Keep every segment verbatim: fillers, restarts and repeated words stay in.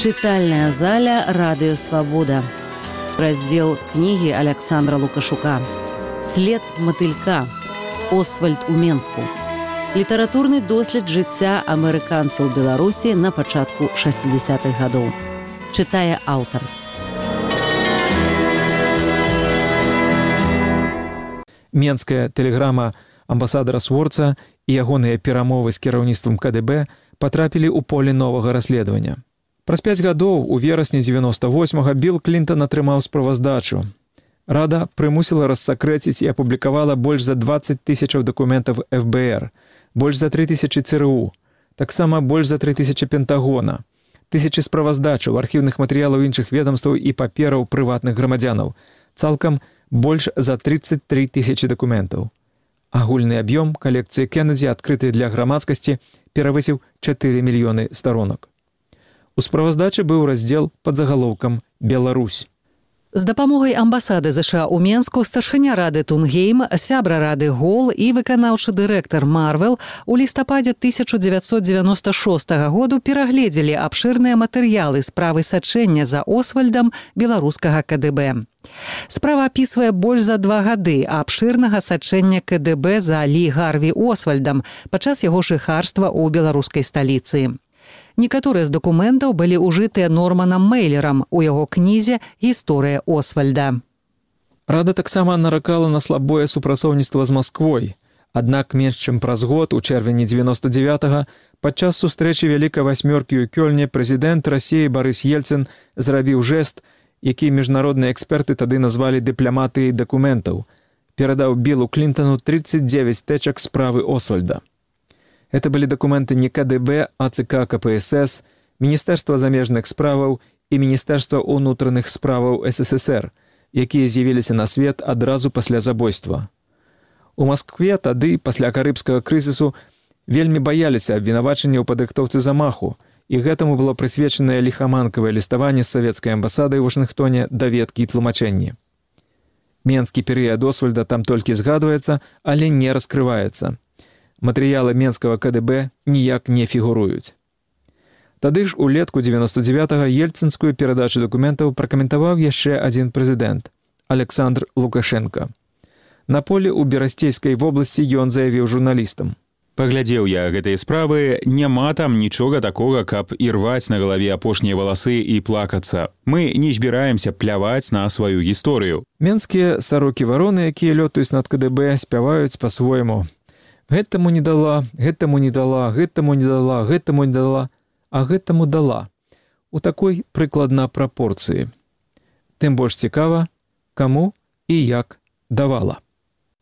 Читальная заля «Радио Свобода». Раздел книги Александра Лукашука. «След мотылька. Освальд у Менску». Літаратурны дослед жыцця амерыканцаў у Беларусі на пачатку шэсцідзясятых гадоў. Чытае аўтар. Менская тэлеграма амбасадара Сворца і ягоныя перамовы з кіраўніцтвам ка дэ бэ патрапілі ў поле новага расследавання. Праз пяць гадоў у верасні дзевяноста восьмага Білл Клінтан атрымаў справаздачу. Рада прымусіла рассакрэціць і апублікавала больш за дваццаць тысячаў дакументаў эф бэ эр, больш за тры тысячы цэ рэ у, таксама больш за тры тысячы Пентагона, тысячы справаздачаў, архіўных матэрыялаў іншых ведамстваў і папераў прыватных грамадзянаў, цалкам больш за трыццаць тры тысячы дакументаў. Агульны аб'ём калекцыі Кеннеді, адкрытай для грамадскасці, перавысіў чатыры мільёны старонак. У справаздачы быў раздзел пад загалоўкам «Беларусь». З дапамогай амбасады ЗША ў Менску старшыня рады Тунгейм, сябра рады Гол і выканаўчы дырэктар Марвел у лістападзе тысяча дзевяцьсот дзевяноста шостага году перагледзелі абшырныя матэрыялы справы сачэння за Освальдам беларускага ка дэ бэ. Справа апісвае больш за два гады абшырнага сачэння ка дэ бэ за Лі Гарві Освальдам падчас яго жыхарства ў беларускай сталіцы. Некаторыя з дакументаў былі ўжытыя Норманам Мэйлерам у яго кнізе «Гісторыя Освальда». Рада таксама наракала на слабое супрацоўніцтва з Масквой. Аднак менш чым праз год, у чэрвені дзевяноста дзевятага, падчас сустрэчы Вялікай васьмёркі ў Кёльне прэзідэнт Расіі Барыс Ельцын зрабіў жэст, які міжнародныя эксперты тады назвалі дыпламатыяй дакументаў. Перадаў Биллу Клінтану трыццаць дзевяць тэчак справы Освальда. Это былі дакументы не ка дэ бэ, а цэ ка ка пэ эс эс, Міністэрства замежных справаў і Міністэрства ўнутраных справаў эс эс эс эр, якія з'явіліся на свет адразу пасля забойства. У Маскве тады, пасля карыбскага крызісу, вельмі баяліся абвінавачання ў падрыхтоўцы замаху, і гэтаму было прысвечанае ліхаманкавае ліставанне з савецкай амбасадай у Вашынгтоне даведкі і тлумачэнні. Менскі перыяд Освальда там толькі згадваецца, але не раскрываецца. Матэрыялы менскага ка дэ бэ ніяк не фігуруюць. Тады ж улетку дзевяноста дзевятага ельцынскую перадачу дакументаў пракаментаваў яшчэ адзін прэзідэнт – Александр Лукашенко. На поле ў Берасцейскай вобласці ён заявіў журналістам: «Паглядзеў я гэтыя справы, няма там нічога такога, каб ірваць на галаве апошнія валасы і плакацца. Мы не збіраемся пляваць на сваю гісторыю». Менскія сарокі-вароны, якія лётаюць над ка дэ бэ, спяваюць па-свойму: «Гэтаму не дала, гэтаму не дала, гэтаму не дала, гэтаму не дала, а гэтаму дала». У такой прыкладна прапорцыі. Тым больш цікава, каму і як давала.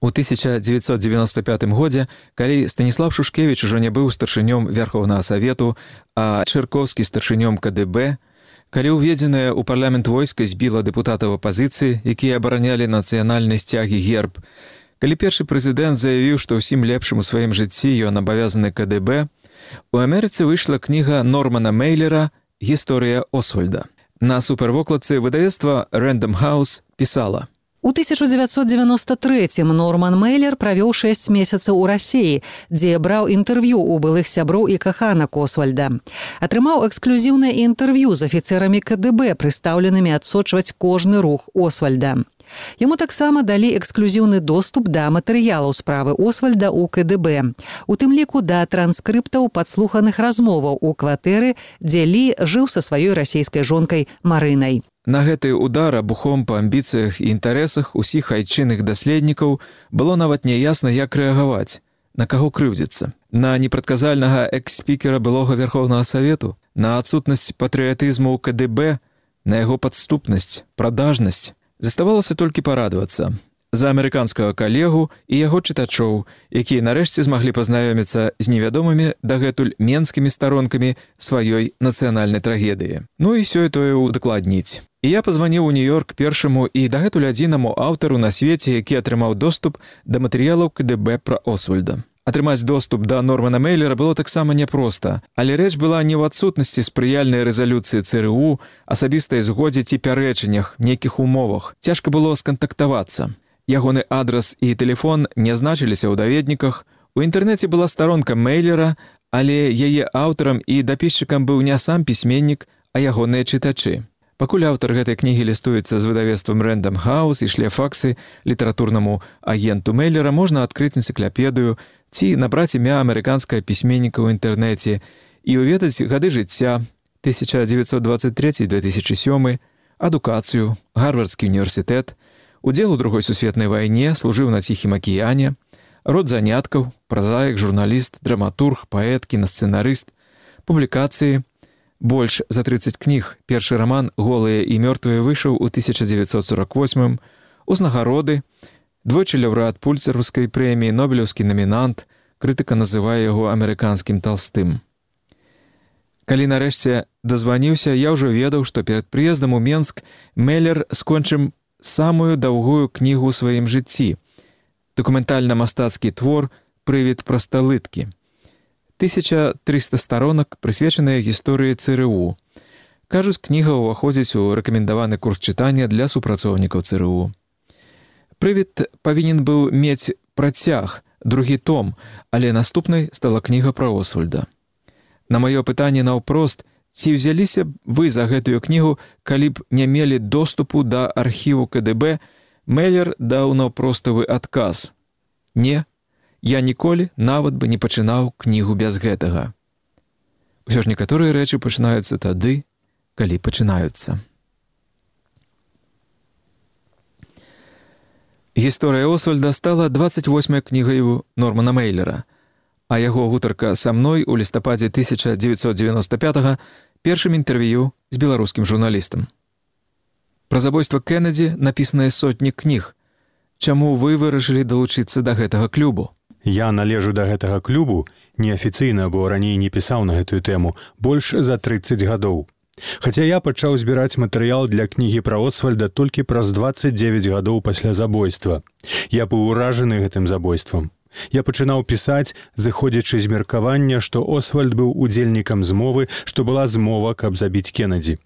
У тысяча дзевяцьсот дзевяноста пятым годзе, калі Станіслав Шушкевіч ужо не быў старшынём Верховнага Савету, а Чырковскі старшынём ка дэ бэ, калі ўведзенае ў парламент войска збіла дэпутатаў апазіцыі, якія абаранялі нацыянальны сцяг і герб, калі першы прэзідэнт заявіў, што ўсім лепшым у сваім жыцці ён абавязаны ка дэ бэ, у Амерыцы выйшла кніга Нормана Мэйлера «Гісторыя Освальда». На супервокладцы выдавецтва Рэндам Хаус пісала: У тысяча дзевяцьсот дзевяноста трэцім Норман Мэйлер правёў шэсць месяцаў у Расіі, дзе браў інтэрв'ю ў былых сяброў і каханак Освальда. Атрымаў эксклюзіўнае інтэрв'ю з афіцэрамі ка дэ бэ, прыстаўленымі адсочваць кожны рух Освальда. Яму таксама далі эксклюзіўны доступ да матэрыялаў справы Освальда ў ка дэ бэ, у тым ліку да транскрыптаў падслуханых размоваў у кватэры, дзе Лі жыў са сваёй расійскай жонкай Марынай. На гэты удар абухом па амбіцыях і інтарэсах усіх айчынных даследнікаў было нават няясна, як рэагаваць, на каго крыўдзіцца. На непрадказальнага экс-спікера былога Верховнага Савету, на адсутнасць патрыятызму ў ка дэ бэ, на яго падступнасць, прадажнасць. Заставалася толькі парадавацца за амерыканскага калегу і яго чытачоў, якія нарэшце змаглі пазнаёміцца з невядомымі дагэтуль менскімі старонкамі сваёй нацыянальнай трагедыі. Ну і сёе-тое удакладніць. І я пазваніў у Нью-Йорк першаму і дагэтуль адзінаму аўтару на свеце, які атрымаў доступ да матэрыялаў ка дэ бэ пра Освальда. Атрымаць доступ да Нормана Мэйлера было таксама няпроста, але рэч была не ў адсутнасці спрыяльнай рэзалюцыі цэ рэ у, асабістай згодзе ці пярэчаннях, нейкіх умовах. Цяжка было скантактавацца. Ягоны адрас і тэлефон не значыліся ў даведніках. У інтэрнэце была старонка Мэйлера, але яе аўтарам і дапісчыкам быў не сам пісьменнік, а ягоныя чытачы. Пакуль аўтар гэтай кнігі лістуецца з выдавецтвам Рэндам Хаус і шле факсы літаратурнаму агенту Мейлера, можна адкрыць энцыклапедыю ці набраць імя амерыканскага пісьменніка ў інтэрнэце і ўведаць гады жыцця тысяча дзевяцьсот дваццаць трэці - две тысячы сёмы, адукацыю, Гарвардскі універсітэт, удзел у другой сусветнай вайне, служыў на Ціхім акіяне, род заняткаў, празаік, журналіст, драматург, паэт, кінасцэнарыст, публікацыі, больш за трыццаць кніг. Першы раман «Голыя і мёртвыя» выйшаў у тысяча дзевяцьсот сорок восьмым, узнагароды, двойчы лаўрэат пульцераўскай прэміі, нобелеўскі намінант, крытыка называе яго амерыканскім Талстым. Калі нарэшце дазваніўся, я ўжо ведаў, што перад прыездам у Менск Мейлер скончым самую даўгую кнігу ў сваім жыцці. Дакументальна-мастацкі твор «Прывід прасталыткі». тысяча трыста старонак, прысвечаныя гісторыі ЦРУ. Кажуць, кніга ўваходзіць у рэкамендаваны курс чытання для супрацоўнікаў ЦРУ. Прывід павінен быў мець працяг, другі том, але наступнай стала кніга пра Освальда. На маё пытанне наўпрост, ці ўзяліся б вы за гэтую кнігу, калі б не мелі доступу да архіву КДБ, Мейлер даў наўпроставы адказ. Не, я ніколі нават бы не пачынаў кнігу без гэтага. Усё ж некаторыя рэчы пачынаюцца тады, калі пачынаюцца. Гісторыя Освальда стала дваццаць восьмай кнігаю Нормана Мейлера, а яго гутарка са мной у лістападзе тысяча дзевяцьсот дзевяноста пятага першым інтэрв'ю з беларускім журналістам. Пра забойства Кеннеді напісаныя сотні кніг. Чаму вы вырашылі далучыцца да гэтага клубу? Я належу да гэтага клубу, неафіцыйна, бо раней не пісаў на гэтую тэму, больш за трыццаць гадоў. Хаця я пачаў збіраць матэрыял для кнігі пра Освальда толькі праз дваццаць дзевяць гадоў пасля забойства. Я быў уражаны гэтым забойствам. Я пачынаў пісаць, зыходзячы з меркавання, што Освальд быў удзельнікам змовы, што была змова, каб забіць Кеннеді.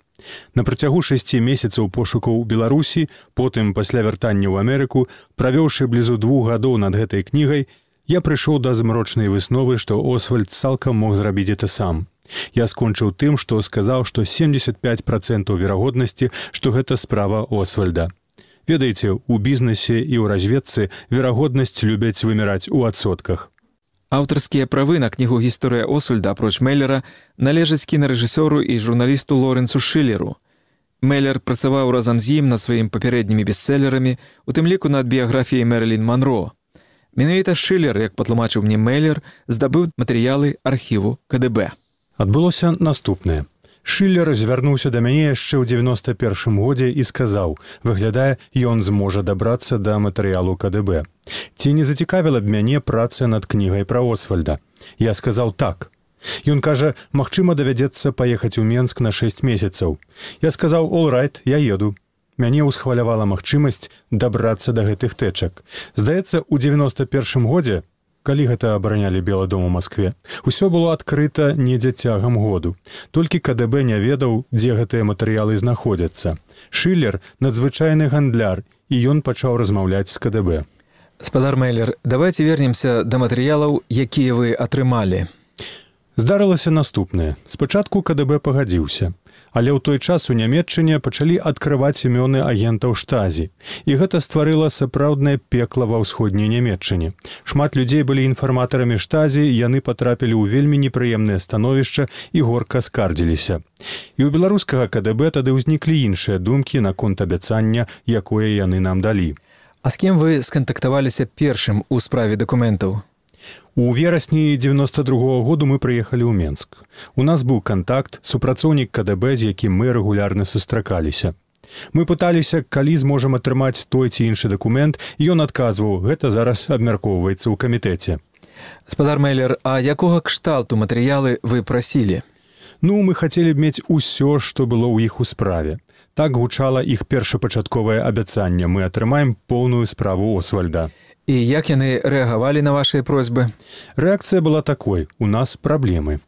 На працягу шасці месяцаў пошукаў у Беларусі, потым пасля вяртання ў Амерыку, правёўшы блізу двух гадоў над гэтай кнігай, я прыйшоў да змрочнай высновы, што Освальд цалкам мог зрабіць гэта сам. Я скончыў тым, што сказаў, што семдзесят пяць працэнтаў верагоднасці, што гэта справа Освальда. Ведаеце, у бізнесе і ў разведцы верагоднасць любяць выміраць у адсотках. Аўтарскія правы на кнігу «Гісторыя Освальда» апроч Мейлера належаць кінарэжысёру і журналісту Лорэнсу Шылеру. Мейлер працаваў разам з ім над сваімі папярэднімі бестселерамі, у тым ліку над біяграфіяй Мэрылін Монро. Менавіта Шылер, як патлумачыў мне Мейлер, здабыў матэрыялы архіву КДБ. Адбылося наступнае. Шылер звярнуўся да мяне яшчэ ў дзевяноста першым годзе і сказаў, выглядае, ён зможа дабрацца да матэрыялу КДБ. Ці не зацікавіла б мяне праца над кнігай пра Освальда? Я сказаў так. Ён кажа, магчыма, давядзецца паехаць у Менск на шэсць месяцаў. Я сказаў, all right, я еду. Мяне ўсхвалявала магчымасць дабрацца да гэтых тэчак. Здаецца, у дзевяноста першым годзе, калі гэта абаранялі Белы дом у Маскве, усё было адкрыта недзе цягам году. Толькі КДБ не ведаў, дзе гэтыя матэрыялы знаходзяцца. Шылер – надзвычайны гандляр, і ён пачаў размаўляць з КДБ. Спадар Мейлер, давайте вернемся да матэрыялаў, якія вы атрымалі. Здарылася наступнае. Спачатку КДБ пагадзіўся. Але ў той час у Нямецчыне пачалі адкрываць імёны агентаў штазі. І гэта стварыла сапраўднае пекла ва ўсходняй Нямецчыне. Шмат людзей былі інфарматарамі штазі, яны патрапілі ў вельмі непрыемнае становішча і горка скардзіліся. І ў беларускага КДБ тады ўзніклі іншыя думкі наконт абяцання, якое яны нам далі. А з кім вы скантактаваліся першым у справе дакументаў? У верасні дзевяноста другога году мы прыехалі ў Менск. У нас быў кантакт, супрацоўнік КДБ, з якім мы рэгулярна сустракаліся. Мы пыталіся, калі зможам атрымаць той ці іншы дакумент, і ён адказваў, гэта зараз абмяркоўваецца ў камітэце. Спадар Мейлер, а якога кшталту матэрыялы вы прасілі? Ну, мы хацелі б мець усё, што было ў іх у справе. Так гучала іх першапачатковае абяцанне. Мы атрымаем поўную справу Освальда. І як яны рэагавалі на вашыя просьбы? Рэакцыя была такой. У нас праблемы.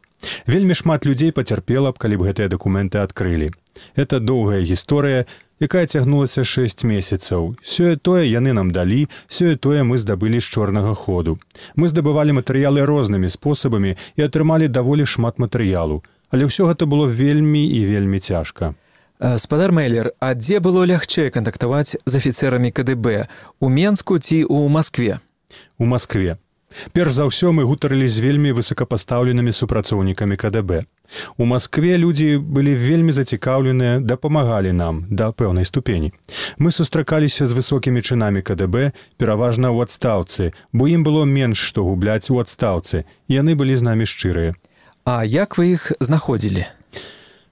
Вельмі шмат людзей пацярпела б, калі б гэтыя дакументы адкрылі. Это доўгая гісторыя, якая цягнулася шэсць месяцаў. Сёе-тое яны нам далі, сёе-тое мы здабылі з чорнага ходу. Мы здабывалі матэрыялы рознымі спосабамі і атрымалі даволі шмат матэрыялу. Але ўсё гэта было вельмі і вельмі цяжка. Спадар Мейлер, а дзе было лягчэй кантактаваць з афіцэрамі КДБ? У Менску ці ў Маскве? У Маскве. Перш за ўсё мы гутарылі з вельмі высокапастаўленымі супрацоўнікамі КДБ. У Маскве людзі былі вельмі зацікаўленыя, дапамагалі нам да пэўнай ступені. Мы сустракаліся з высокімі чынамі КДБ, пераважна ў адстаўцы, бо ім было менш што губляць у адстаўцы, і яны былі з намі шчырыя. А як вы іх знаходзілі?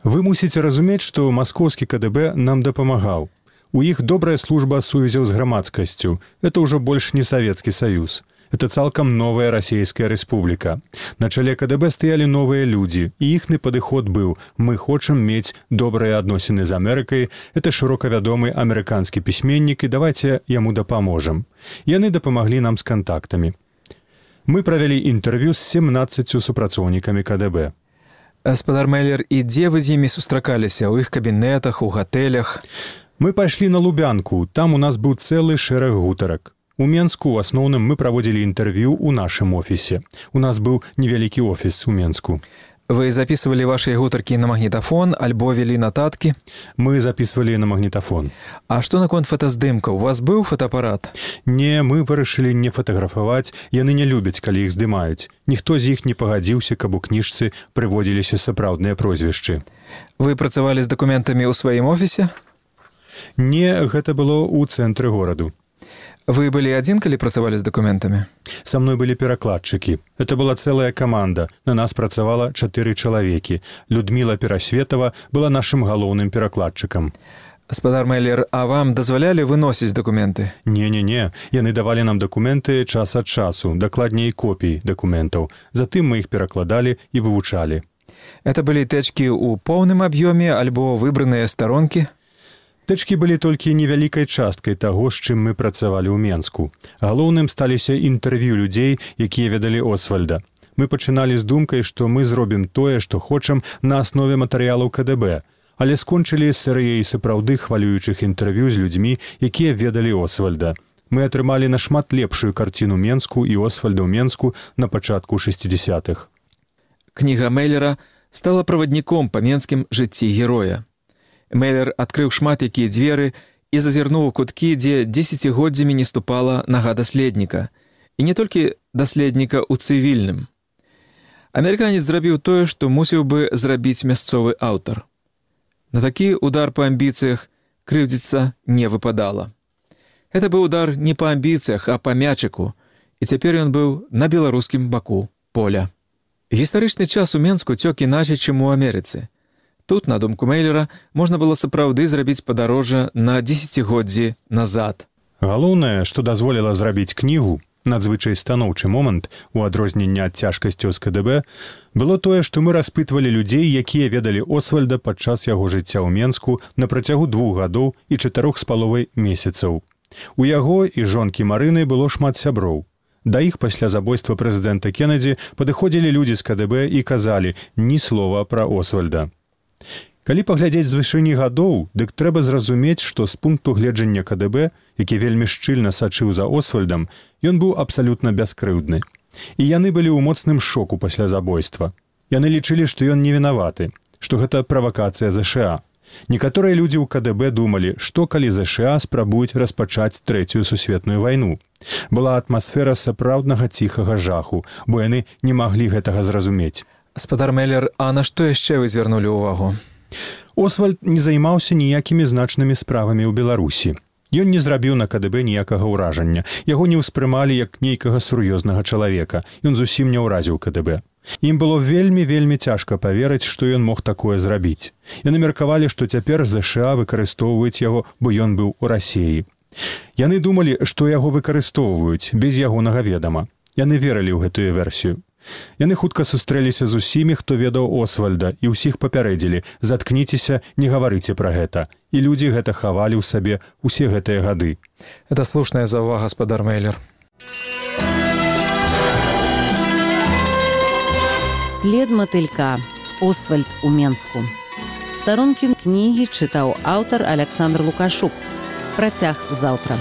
Вы мусіце разумець, што маскоўскі КДБ нам дапамагаў. У іх добрая служба сувязяў з грамадскасцю. Это ўжо больш не Савецкі Саюз. Это цалкам новая расійская рэспубліка. На чале КДБ стаялі новыя людзі, і іхны падыход быў: мы хочам мець добрыя адносіны з Амерыкай, это шырока вядомы амерыканскі пісьменнік, і давайце яму дапаможам. Яны дапамаглі нам з кантактамі. Мы правялі інтэрв'ю з семнаццаццю супрацоўнікамі КДБ. Спадар Мейлер, і дзе вы з імі сустракаліся? У іх кабінетах, у гатэлях? Мы пайшлі на Лубянку, там у нас быў цэлы шэраг гутарак. У Менску ў асноўным мы праводзілі інтэрв'ю ў нашым офісе. У нас быў невялікі офіс у Менску. Вы записывалі вашыя гутаркі на магнітафон альбо вялі нататкі? Мы записывалі на магнітафон. А што наконт фотаздымка? У вас быў фотоапарат? Не, мы вырашылі не фатаграфаваць, яны не любяць, калі іх здымаюць. Ніхто з іх не пагадзіўся, каб у кніжцы прыводзіліся сапраўдныя прозвішчы. Вы працавалі з дакументамі ў сваім офісе? Не, гэта было ў цэнтры гораду. Вы былі адзін, калі працавалі з дакументамі? Са мной былі перакладчыкі. Это была цэлая каманда. На нас працавала чатыры чалавекі. Людміла Перасветова была нашым галоўным перакладчыкам. Спадар Мейлер, а вам дазвалялі выносіць дакументы? Не-не-не. Яны давалі нам дакументы час ад часу, дакладней копій дакументаў. Затым мы іх перакладалі і вывучалі. Это былі тэчкі ў поўным аб'ёме альбо выбраныя старонкі? Тэчкі былі толькі невялікай часткай таго, з чым мы працавалі ў Менску. Галоўным сталіся інтэрв'ю людзей, якія ведалі Освальда. Мы пачыналі з думкай, што мы зробім тое, што хочам на аснове матэрыялаў КДБ, але скончылі з серыяй сапраўды хвалюючых інтэрв'ю з людзьмі, якія ведалі Освальда. Мы атрымалі нашмат лепшую карціну Менску і Освальда ў Менску на пачатку шэсцідзясятых. Кніга Мейлера стала правадніком па менскім жыцці героя. Мейлер адкрыў шмат якія дзверы і зазірнуў у куткі, дзе дзесяцігоддзямі не ступала нага даследніка. І не толькі даследніка ў цывільным. Амерыканец зрабіў тое, што мусіў бы зрабіць мясцовы аўтар. На такі удар па амбіцыях крыўдзіцца не выпадала. Гэта быў удар не па амбіцыях, а па мячыку, і цяпер ён быў на беларускім баку поля. Гістарычны час у Менску цёк іначай, чым у Амерыцы. Тут, на думку Мейлера, можна было сапраўды зрабіць падарожжа на дзесяцігоддзі назад. Галоўнае, што дазволіла зрабіць кнігу, надзвычай станоўчы момант, у адрозненне ад цяжкасцяў з КДБ, было тое, што мы распытвалі людзей, якія ведалі Освальда падчас яго жыцця ў Менску на працягу двух гадоў і чатырох з паловай месяцаў. У яго і жонкі Марыны было шмат сяброў. Да іх пасля забойства прэзідэнта Кеннеді падыходзілі людзі з КДБ і казалі ні слова пра Освальда. Калі паглядзець з вышыні гадоў, дык трэба зразумець, што з пункту гледжання КДБ, які вельмі шчыльна сачыў за Освальдам, ён быў абсалютна бяскрыўдны. І яны былі ў моцным шоку пасля забойства. Яны лічылі, што ён не вінаваты, што гэта правакацыя ЗША. Некаторыя людзі ў КДБ думалі, што калі ЗША спрабуюць распачаць трэцюю сусветную вайну. Была атмасфера сапраўднага ціхага жаху, бо яны не маглі гэтага зразумець. Спадар Мейлер, а на што яшчэ вы звярнулі ўвагу? Освальд не займаўся ніякімі значнымі справамі ў Беларусі. Ён не зрабіў на КДБ ніякага ўражання. Яго не ўспрымалі як нейкага сур'ёзнага чалавека. Ён зусім не ўразіў КДБ. Ім было вельмі-вельмі цяжка паверыць, што ён мог такое зрабіць. Яны меркавалі, што цяпер ЗША выкарыстоўваюць яго, бо ён быў у Расіі. Яны думалі, што яго выкарыстоўваюць без ягонага ведама. Яны верылі ў гэтую версію. Яны хутка сустрэліся з усімі, хто ведаў Освальда, і ўсіх папярэдзілі: заткніцеся, не гаварыце пра гэта. І людзі гэта хавалі ў сабе ўсе гэтыя гады. Это слушная заўвага, спадар Мейлер. След матылька. Освальд у Менску. Старонкі кнігі чытаў аўтар Александр Лукашук. Працяг заўтра.